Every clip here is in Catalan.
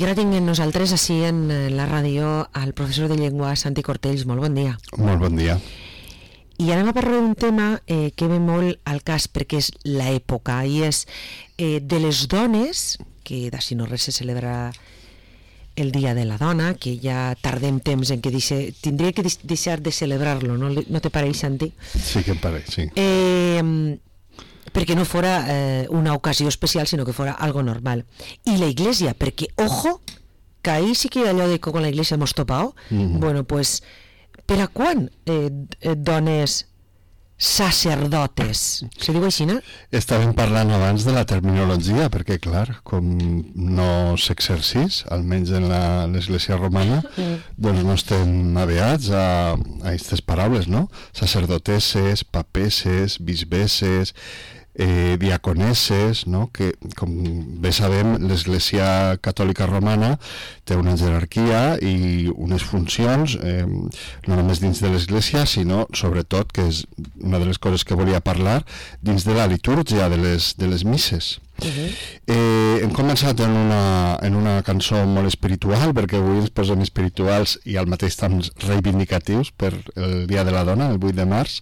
ara tinguem nosaltres així en la ràdio el professor de llengua Santi Cortells. Molt bon dia. Molt bon dia. I anem a parlar d'un tema que ve molt al cas perquè és l'època i és de les dones, que d'ací no res se celebra el Dia de la Dona, que ja tardem temps en que tindria que deixar de celebrar-lo, no te pareix, Santi? Sí que em pareix, sí. Perquè no fora una ocasió especial, sinó que fora algo normal. I la Iglesia, perquè, ojo, que ahí sí que allò de que con la Iglesia hemos topado, bueno, pues, per a quan dones sacerdotes? Se diu així, no? Estàvem parlant abans de la terminologia, perquè, clar, com no s'exercís, almenys en l'Església romana, doncs no estem aviats a aquestes paraules, no? Sacerdotesses, papesses, bisbesses, diaconesses, no? Que, com bé sabem, l'Església Catòlica Romana té una jerarquia i unes funcions, no només dins de l'Església, sinó, sobretot, que és una de les coses que volia parlar, dins de la litúrgia de les misses. Hem començat en una cançó molt espiritual, perquè avui ens posem espirituals i al mateix temps reivindicatius per el Dia de la Dona, el 8 de març,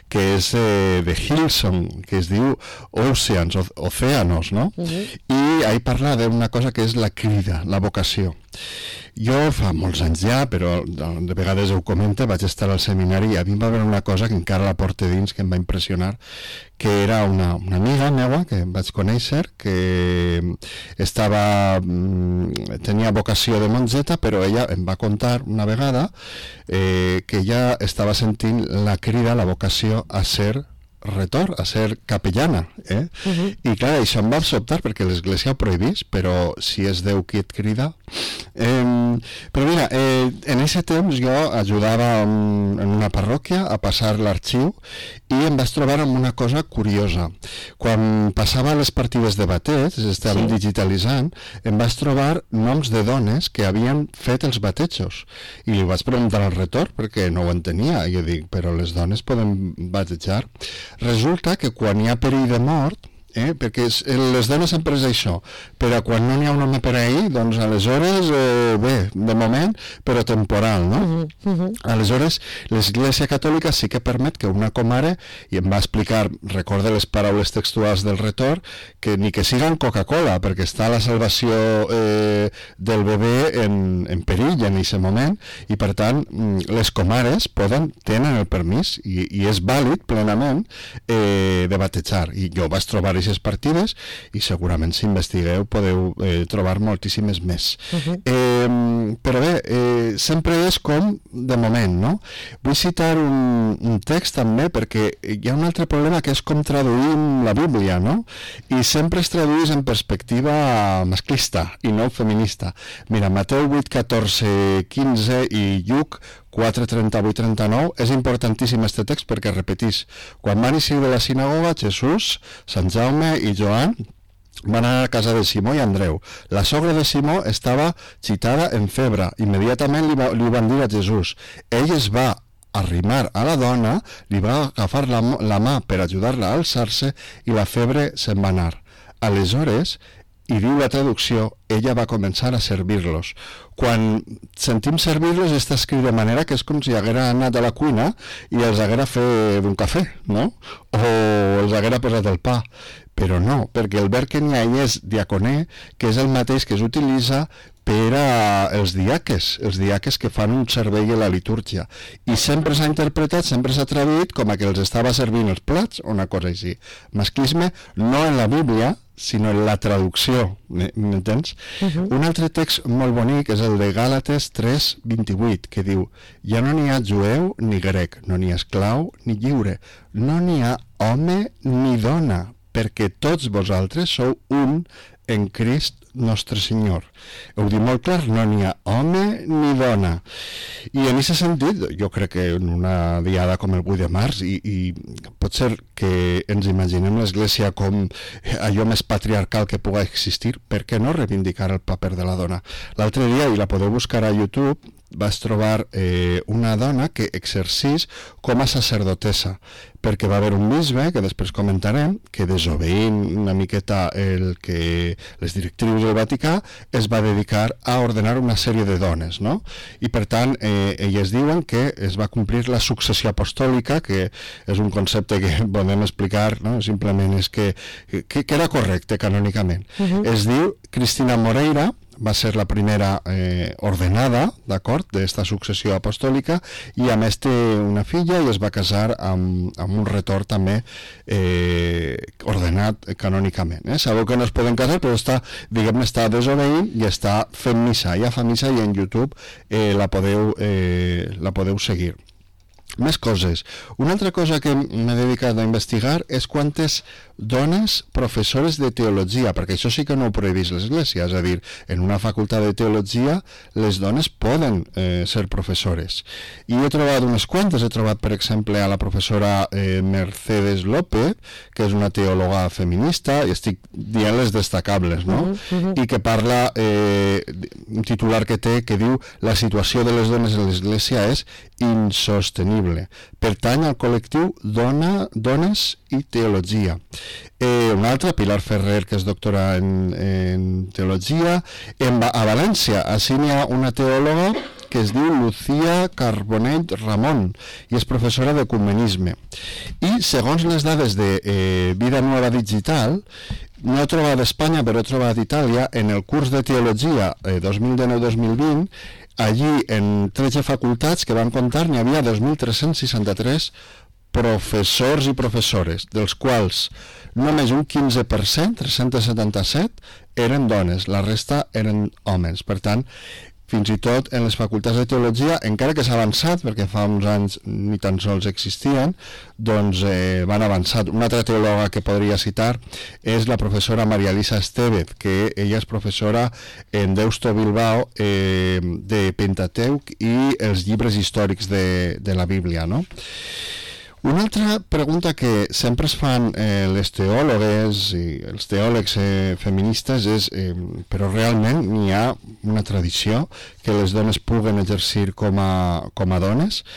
que és de Hillsong, que es diu Oceans, Océanos, no? I ahí parla d'una cosa que és la crida, la vocació. Jo fa molts anys ja, però de vegades ho comento, vaig estar al seminari i a mi va haver una cosa que encara la porto dins, que em va impressionar, que era una amiga meva que vaig conèixer, que tenia vocació de monjeta, però ella em va contar una vegada que ella estava sentint la crida, la vocació a ser retor, a ser capellana, i clar, això em va sobtar perquè l'Església ho prohibís, però si és Déu qui et crida. Però mira, en aquest temps jo ajudava en una parròquia a passar l'arxiu i em vaig trobar amb una cosa curiosa. Quan passava les partides de bateig, estàvem digitalitzant, em vaig trobar noms de dones que havien fet els batejos i li vaig preguntar al retor perquè no ho entenia, i jo dic, però les dones poden batejar? Resulta que quan hi ha perill de mort, perquè les dones sempre és això, però quan no n'hi ha un home per ahir, doncs aleshores, bé, de moment, però temporal, no? Aleshores, l'Església Catòlica sí que permet que una comare, i em va explicar, recorde les paraules textuals del retor, que ni que siguen Coca-Cola, perquè està la salvació del bebè en perill en aquest moment, i per tant, les comares tenen el permís, i és vàlid plenament, de batejar. I jo vaig trobar aquestes partides i segurament si investigueu podeu trobar moltíssimes més. Però bé, sempre és com de moment, no? Vull citar un text també perquè hi ha un altre problema que és com traduïm la Bíblia, no? I sempre es tradueix en perspectiva masclista i no feminista. Mira, Mateu 8, 14, 15 i Lluc 4, 38, 39, és importantíssim este text perquè repetís, quan van eixir de la sinagoga, Jesús, Sant Jaume i Joan van anar a casa de Simó i Andreu. La sogra de Simó estava xitada en febre. Immediatament li van dir a Jesús. Ell es va arrimar a la dona, li va agafar la mà per ajudar-la a alçar-se i la febre se'n va anar. Aleshores, i diu la traducció, ella va començar a servir-los. Quan sentim servir-los està escrit de manera que és com si haguera anat a la cuina i els haguera fet un cafè, no? O els haguera posat el pa. Però no, perquè el verb que n'hi ha és diaconé, que és el mateix que s'utilitza per als diaques que fan un servei a la litúrgia. I sempre s'ha interpretat, sempre s'ha traduït com a que els estava servint els plats o una cosa així. Masclisme no en la Bíblia, sinó en la traducció, m'entens? Un altre text molt bonic és el de Gàlates 3, 28, que diu: ja no n'hi ha jueu ni grec, no n'hi ha esclau ni lliure, no n'hi ha home ni dona, perquè tots vosaltres sou un en Crist nostre Senyor. Ho diu molt clar, no n'hi ha home ni dona. I en aquest sentit, jo crec que en una diada com el 8 de març, i pot ser que ens imaginem l'Església com allò més patriarcal que pugui existir, per què no reivindicar el paper de la dona? L'altre dia, i la podeu buscar a YouTube, vas trobar una dona que exercís com a sacerdotessa, perquè va haver un bisbe, que després comentarem, que desobeint una miqueta les directrius del Vaticà, es va dedicar a ordenar una sèrie de dones, no? I per tant, elles diuen que es va complir la successió apostòlica, que és un concepte que podem explicar, no? Simplement és que era correcte canònicament. Es diu Cristina Moreira, va ser la primera ordenada, d'acord, d'esta successió apostòlica, i a més té una filla i es va casar amb un retor també ordenat canònicament. Sabeu que no es poden casar, però està desobeint i està fent missa. Ja fa missa i en YouTube la podeu seguir. Més coses. Una altra cosa que m'he dedicat a investigar és quantes dones professores de teologia, perquè això sí que no ho prohibís l'Església, és a dir, en una facultat de teologia les dones poden ser professores. I he trobat unes quantes, he trobat per exemple a la professora Mercedes López, que és una teòloga feminista, i estic dient les destacables, no? I que parla, un titular que té, que diu la situació de les dones en l'Església és insostenible. Pertany al col·lectiu Dones i Teologia. Una altra, Pilar Ferrer, que és doctora en teologia. A València, així n'hi ha una teòloga que es diu Lucía Carbonell Ramon i és professora d'ecumenisme. I segons les dades de Vida Nueva Digital, no he trobat a Espanya, però he trobat a Itàlia, en el curs de teologia 2019-2020, allí en 13 facultats que van comptar n'hi havia 2.363 professors i professores, dels quals només un 15%, 377, eren dones, la resta eren homes. Per tant, fins i tot en les facultats de teologia, encara que s'ha avançat, perquè fa uns anys ni tan sols existien, doncs van avançar. Una altra teòloga que podria citar és la professora Maria Elisa Estevez, que ella és professora en Deusto Bilbao de Pentateuc i els llibres històrics de la Bíblia, no? Una altra pregunta que sempre es fan les teòlogues i els teòlegs feministes és, però realment n'hi ha una tradició que les dones puguen exercir com a dones?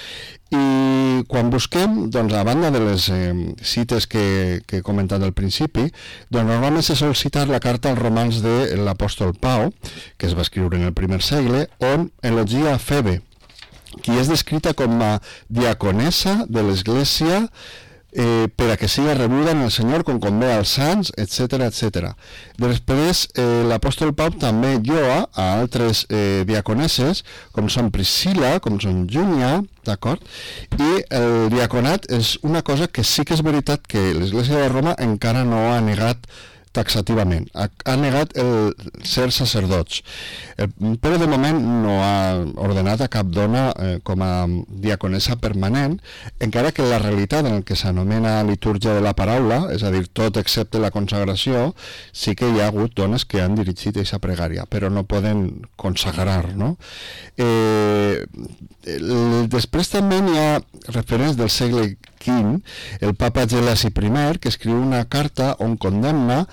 I quan busquem, doncs, a banda de les cites que he comentat al principi, doncs normalment se sol citar la carta als romans de l'apòstol Pau, que es va escriure en el primer segle, on elogia a Febe, qui és descrita com a diaconessa de l'Església per a que siga rebuda en el Senyor com convé als sants, etc. etc. Després, l'apòstol Pau també lloa a altres diaconesses, com són Priscila, com són Júnia, d'acord? I el diaconat és una cosa que sí que és veritat que l'Església de Roma encara no ha negat taxativament, ha negat el ser sacerdots, però de moment no ha ordenat a cap dona com a diaconessa permanent, encara que la realitat en el que s'anomena litúrgia de la paraula, és a dir, tot excepte la consagració, sí que hi ha hagut dones que han dirigit aquesta pregària, però no poden consagrar, no? Després també hi ha referents del segle V, el papa Gelasi I, que escriu una carta on condemna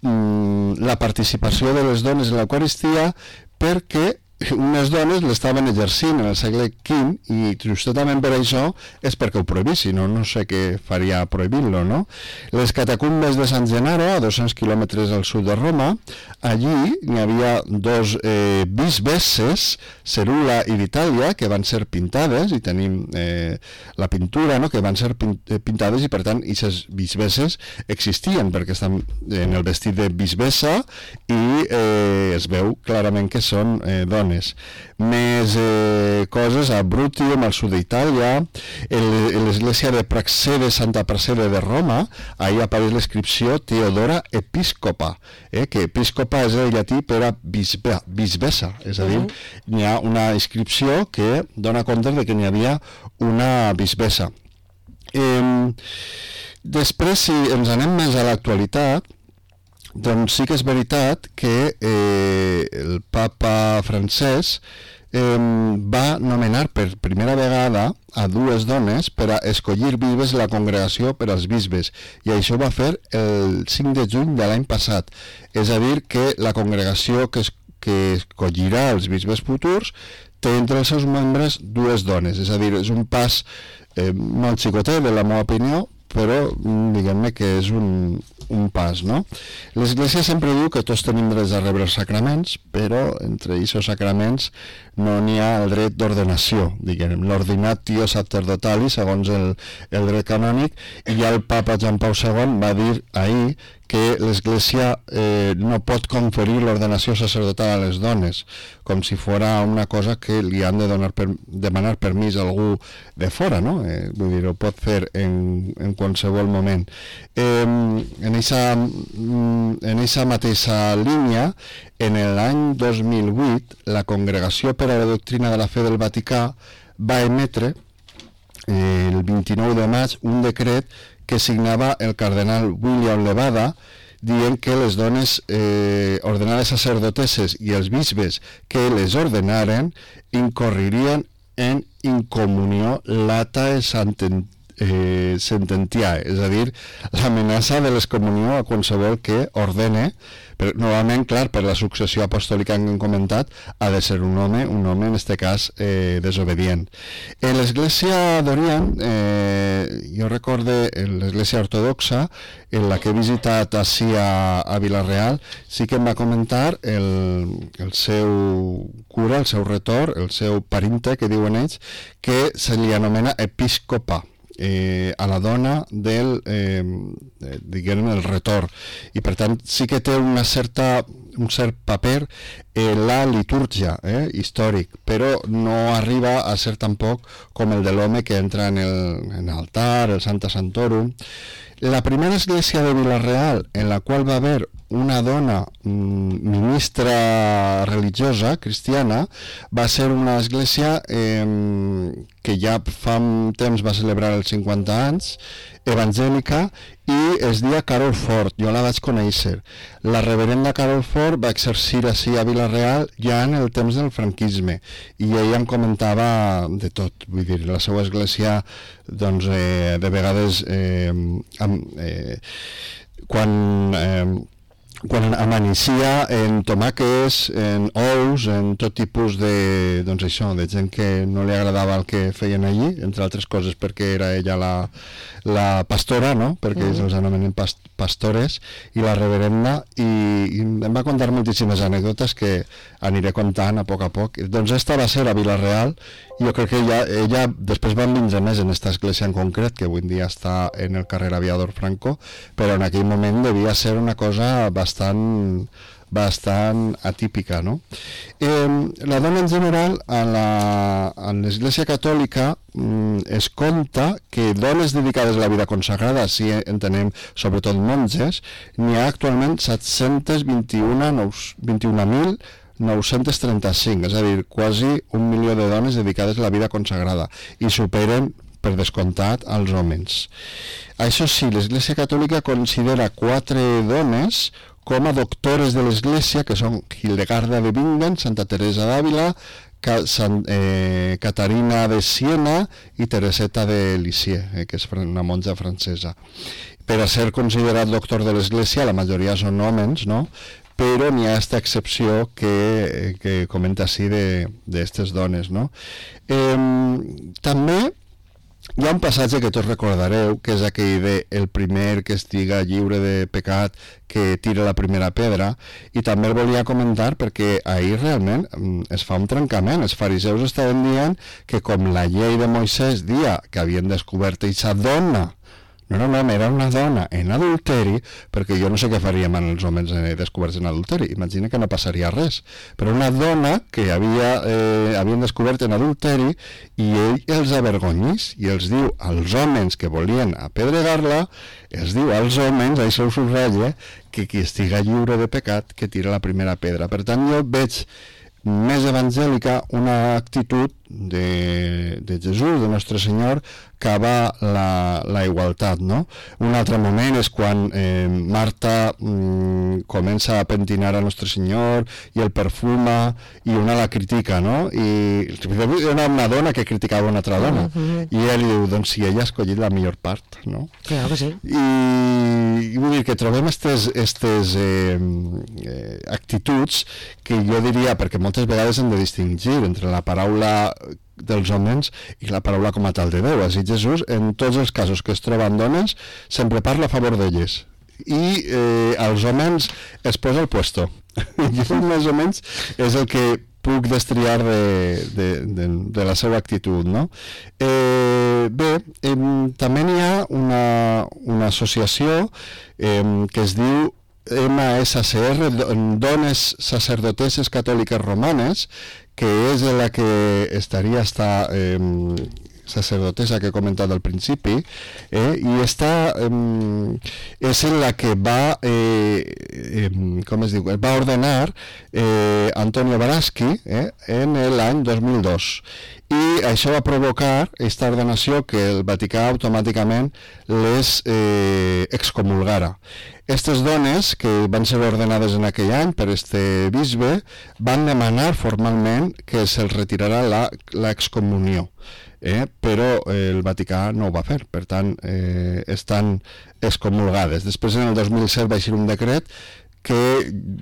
la participació de les dones en l'Eucaristia perquè unes dones l'estaven exercint en el segle V i justament per això és perquè ho prohibís, si no, no sé què faria prohibint-lo, no? Les catacumbes de San Gennaro, a 200 quilòmetres al sud de Roma, allí n'hi havia dos bisbesses, Cerula i Vitalia, que van ser pintades, i tenim la pintura, no?, que van ser pintades, i per tant, aquestes bisbesses existien, perquè estan en el vestit de bisbessa i es veu clarament que són dones. Més coses a Brutium, al sud d'Itàlia, l'església de Praxede, Santa Praxede de Roma, ahí apareix l'inscripció Teodora Episcopa, que episcopa és el llatí per a bisbessa, és a dir, n'hi ha una inscripció que dona compte de que n'hi havia una bisbessa. Després, si ens anem més a l'actualitat, doncs sí que és veritat que el papa francès va nomenar per primera vegada a dues dones per a escollir bisbes la congregació per als bisbes, i això va fer el 5 de juny de l'any passat. És a dir, que la congregació que escollirà els bisbes futurs té entre els seus membres dues dones, és a dir, és un pas molt xicotet, de la meva opinió, però diguem-ne que és un pas, no? L'Església sempre diu que tots tenim drets a rebre els sacraments, però entre aquests sacraments no n'hi ha el dret d'ordenació, diguem, l'ordinatio sacerdotali, segons el dret canònic, i ja el papa Joan Pau II va dir ahir que l'Església no pot conferir l'ordenació sacerdotal a les dones, com si fora una cosa que li han de demanar permís a algú de fora, no? Vull dir, ho pot fer en qualsevol moment. En aquesta mateixa línia, en l'any 2008, la Congregació per a la Doctrina de la Fe del Vaticà va emetre el 29 de maig un decret que signava el cardenal William Levada, dient que les dones ordenades sacerdotesses i els bisbes que les ordenaren incorririen en incomunió latae sententiae, és a dir, l'amenaça de l'excomunió a qualsevol que ordene, però novament, clar, per la successió apostòlica que hem comentat, ha de ser un home en aquest cas desobedient. En l'Església d'Orient, jo recorde l'Església ortodoxa, en la que he visitat així a Vila-real, sí que em va comentar el seu cura, el seu retor, el seu parinte, que diuen ells, que se li anomena episcopa, a la dona del diguem, el retor, i per tant sí que té un cert paper en la litúrgia històric, però no arriba a ser tampoc com el de l'home que entra en l'altar, el Santa Santorum. La primera església de Vila-real en la qual va haver una dona ministra religiosa cristiana va ser una església que ja fa un temps va celebrar els 50 anys, evangèlica, i es deia Carol Fort. Jo la vaig conèixer. La reverenda Carol Fort va exercir així a Vila-real ja en el temps del franquisme, i ella em comentava de tot. Vull dir, la seva església, doncs, de vegades quan amaneixia en tomàquets, en ous, en tot tipus de, doncs això, de gent que no li agradava el que feien allí, entre altres coses perquè era ella la pastora, no? Perquè ells els anomenen pastores, i la reverenda, i em va contar moltíssimes anècdotes que aniré contant a poc. Doncs esta va ser a Vila-real, i jo crec que ella després va enviar més en aquesta església en concret, que avui en dia està en el carrer Aviador Franco, però en aquell moment devia ser una cosa bastant atípica, no? La dona en general en l'Església Catòlica es conta que dones dedicades a la vida consagrada, si entenem sobretot monges, n'hi ha actualment 721.935, és a dir, quasi 1 milió de dones dedicades a la vida consagrada, i superen per descomptat als homes. Això sí, l'Església Catòlica considera 4 dones com a doctores de l'Església, que són Hildegarda de Bingen, Santa Teresa d'Àvila, Caterina de Siena i Tereseta de Lisieux, que és una monja francesa. Per a ser considerat doctor de l'Església, la majoria són homes, no? Però n'hi ha aquesta excepció que comenta així d'aquestes dones, no? També hi ha un passatge que tots recordareu, que és aquell de el primer que estiga lliure de pecat que tira la primera pedra, i també el volia comentar perquè ahir realment es fa un trencament. Els fariseus estaven dient que com la llei de Moisès dia que havien descobert aquesta dona, no era un home, era una dona en adulteri, perquè jo no sé què faríem amb els homes descoberts en adulteri, imagina que no passaria res, però una dona que havien descobert en adulteri, i ell els avergonyís i els diu als homes que volien apedregar-la, els diu als homes, això ho subratlla, que qui estiga lliure de pecat que tira la primera pedra. Per tant, jo veig més evangèlica una actitud de Jesús, de Nostre Senyor, cava la igualtat, no? Un altre moment és quan Marta comença a pentinar a Nostre Senyor i el perfuma i una la critica, no? I era una dona que criticava una altra dona i ell diu, doncs si ella ha escollit la millor part, no? Clar que sí. I vull dir que trobem estes actituds que jo diria, perquè moltes vegades hem de distingir entre la paraula dels homes i la paraula com a tal de Déu. Així Jesús, en tots els casos que es troben dones, sempre parla a favor d'elles i als homes es posa al puesto. Jo més o menys és el que puc destriar de la seva actitud, no? Bé, també n'hi ha una associació que es diu MSCR, Dones Sacerdotesses Catòliques Romanes, que és la que estaria esta sacerdotessa que he comentat al principi, i esta és la que va com es diu, va ordenar Antonio Baraschi en l'any 2002, i això va provocar aquesta ordenació que el Vaticà automàticament les excomulgara. Aquestes dones, que van ser ordenades en aquell any per este bisbe, van demanar formalment que se'ls retirarà l'excomunió, però el Vaticà no ho va fer, per tant, estan excomulgades. Després, en el 2007, va eixir un decret que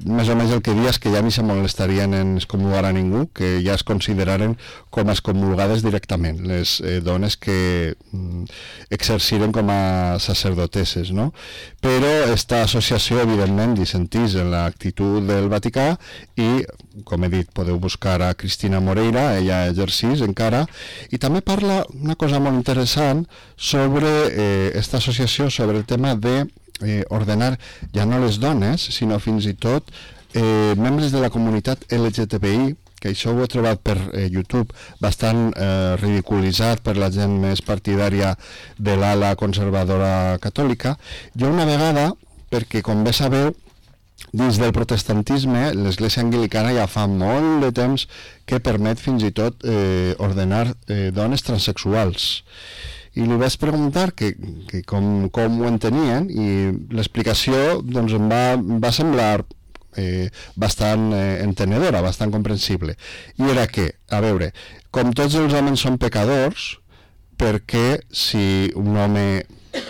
més o menys el que dia és que ja ni se molestarien en excomulgar a ningú, que ja es consideraren com a excomulgades directament, les dones que exerciren com a sacerdotesses, no? Però esta associació, evidentment, dissentís en l'actitud del Vaticà i, com he dit, podeu buscar a Cristina Moreira, ella exercís encara, i també parla una cosa molt interessant sobre esta associació, sobre el tema de ordenar ja no les dones, sinó fins i tot membres de la comunitat LGTBI, que això ho he trobat per YouTube bastant ridiculitzat per la gent més partidària de l'ala conservadora catòlica. Jo una vegada, perquè com bé sabeu, dins del protestantisme, l'Església Anglicana ja fa molt de temps que permet fins i tot ordenar dones transexuals. I li vaig preguntar que com ho entenien, i l'explicació doncs, em va semblar bastant entenedora, bastant comprensible. I era que, a veure, com tots els homes són pecadors, perquè si un home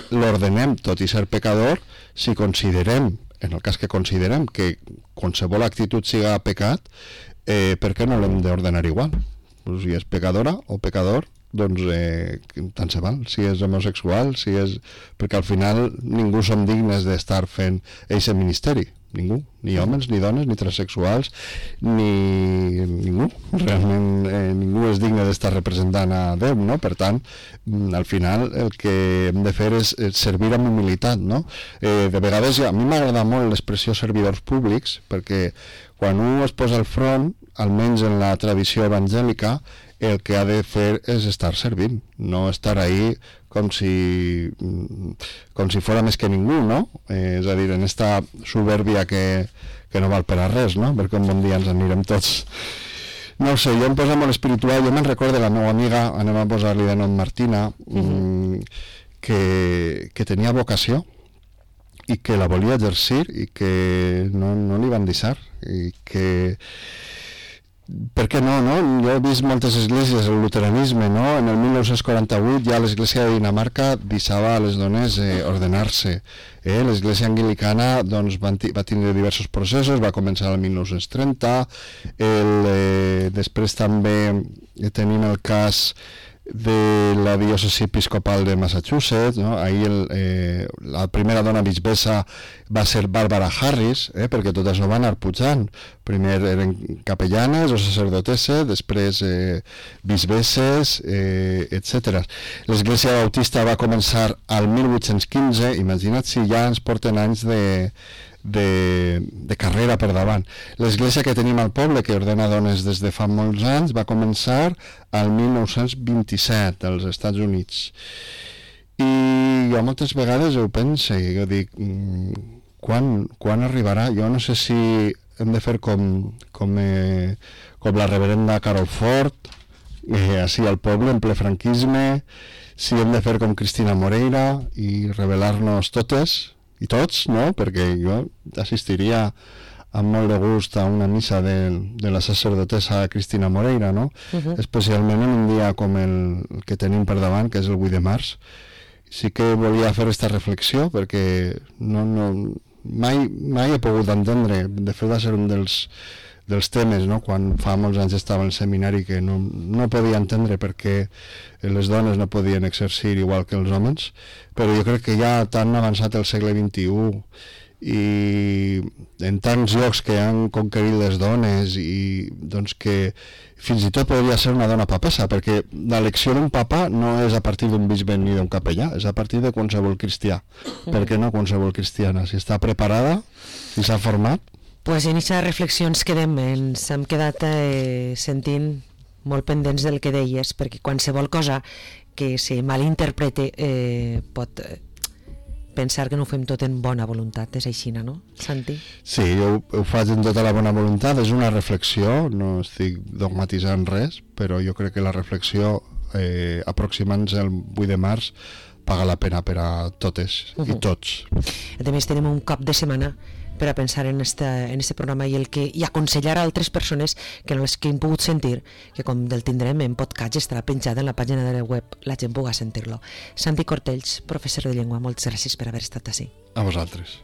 l'ordenem tot i ser pecador, si considerem, en el cas que considerem que qualsevol actitud siga pecat, per què no l'hem d'ordenar igual? Pues si és pecadora o pecador, doncs tant se val, si és homosexual, si és... perquè al final ningú som dignes d'estar fent aquest ministeri, ningú, ni homes, ni dones, ni transexuals, ni ningú, realment ningú és digne d'estar representant a Déu, no? Per tant, al final el que hem de fer és servir amb humilitat, no? De vegades a mi m'agrada molt l'expressió servidors públics, perquè quan un es posa al front, almenys en la tradició evangèlica, el que ha de fer és estar servint, no estar ahí com si fora més que ningú, no? És a dir, en esta soberbia que no val per a res, no? Perquè un bon dia ens anirem tots. No ho sé, jo em posa molt espiritual, jo me'n recordo de la meva amiga, anem a posar-li de nom Martina, que tenia vocació i que la volia exercir i que no li van deixar, i que... Per què no? Jo he vist moltes esglésies, el luteranisme, no? En el 1948 ja l'església de Dinamarca deixava a les dones ordenar-se. L'església anglicana doncs, va tindre diversos processos, va començar el 1930, després també tenim el cas de la diòcesi episcopal de Massachusetts, no? Ahir la primera dona bisbessa va ser Barbara Harris, perquè tot això va anar pujant. Primer eren capellanes o sacerdotesses, després bisbesses, etc. L'Església Bautista va començar al 1815, imagina't si ja ens porten anys de carrera per davant. L'església que tenim al poble, que ordena dones des de fa molts anys, va començar al 1927 als Estats Units. I jo moltes vegades ho penso, jo dic, quan arribarà? Jo no sé si hem de fer com la reverenda Carol Ford, així al poble, en ple franquisme, si hem de fer com Cristina Moreira i revelar-nos totes i tots, no? Perquè jo assistiria amb molt de gust a una missa de la sacerdotessa Cristina Moreira, no? Especialment en un dia com el que tenim per davant, que és el 8 de març. Sí que volia fer aquesta reflexió perquè mai he pogut entendre, de fet va ser un dels temes, no? Quan fa molts anys estava al seminari, que no podia entendre per què les dones no podien exercir igual que els homes, però jo crec que ja tan avançat el segle XXI i en tants llocs que han conquerit les dones i doncs que fins i tot podria ser una dona papessa, perquè l'elecció d'un papa no és a partir d'un bisbe ni d'un capellà, és a partir de qualsevol cristià. Per què no qualsevol cristiana? Si està preparada, si s'ha format. Pues en aquesta reflexió ens hem quedat sentint molt pendents del que deies, perquè qualsevol cosa que se malinterprete pot pensar que no ho fem tot en bona voluntat. És així, no, Santi? Sí, jo ho faig en tota la bona voluntat, és una reflexió, no estic dogmatitzant res, però jo crec que la reflexió aproximant-se al 8 de març paga la pena per a totes i tots. A més, tenim un cop de setmana per a pensar en este programa i aconsellar a altres persones que no les que hem pogut sentir, que com del tindrem en podcast, estarà penjat en la pàgina de la web, la gent pugui sentir-lo. Santi Cortells, professor de llengua, moltes gràcies per haver estat ací. A vosaltres.